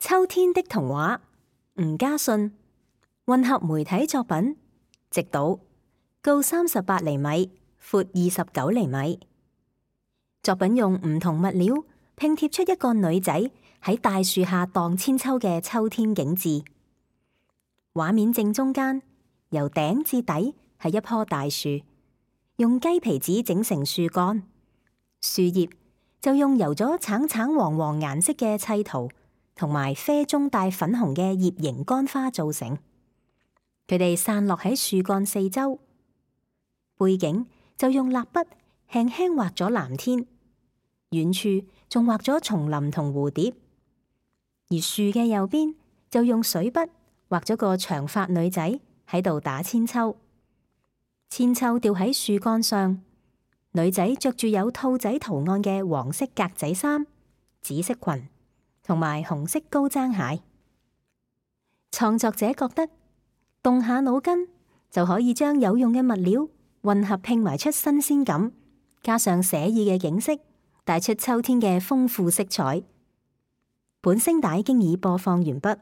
秋天的童話，吳家信，混合媒體作品，直島，高38厘米，闊29厘米。作品用唔同物料拼貼出一個女仔喺大樹下蕩千秋嘅秋天景致。畫面正中間，由頂至底係一棵大樹，用雞皮紙整成樹幹，樹葉就用油咗橙橙黃黃顏色嘅砌圖同埋啡中帶粉紅嘅葉形乾花造成。佢哋散落喺樹幹四周，背景就用蠟筆輕輕畫咗藍天，遠處仲畫咗叢林同蝴蝶。而樹嘅右邊就用水筆畫咗個長髮女仔喺度打韆鞦，韆鞦吊喺樹幹上，女仔着住有兔仔圖案嘅黃色格仔衫、紫色裙同埋紅色高踭鞋。創作者覺得動下腦筋就可以將有用嘅物料混合拼埋出新鮮感，加上寫意嘅景色，帶出秋天嘅豐富色彩。本聲帶經已播放完畢。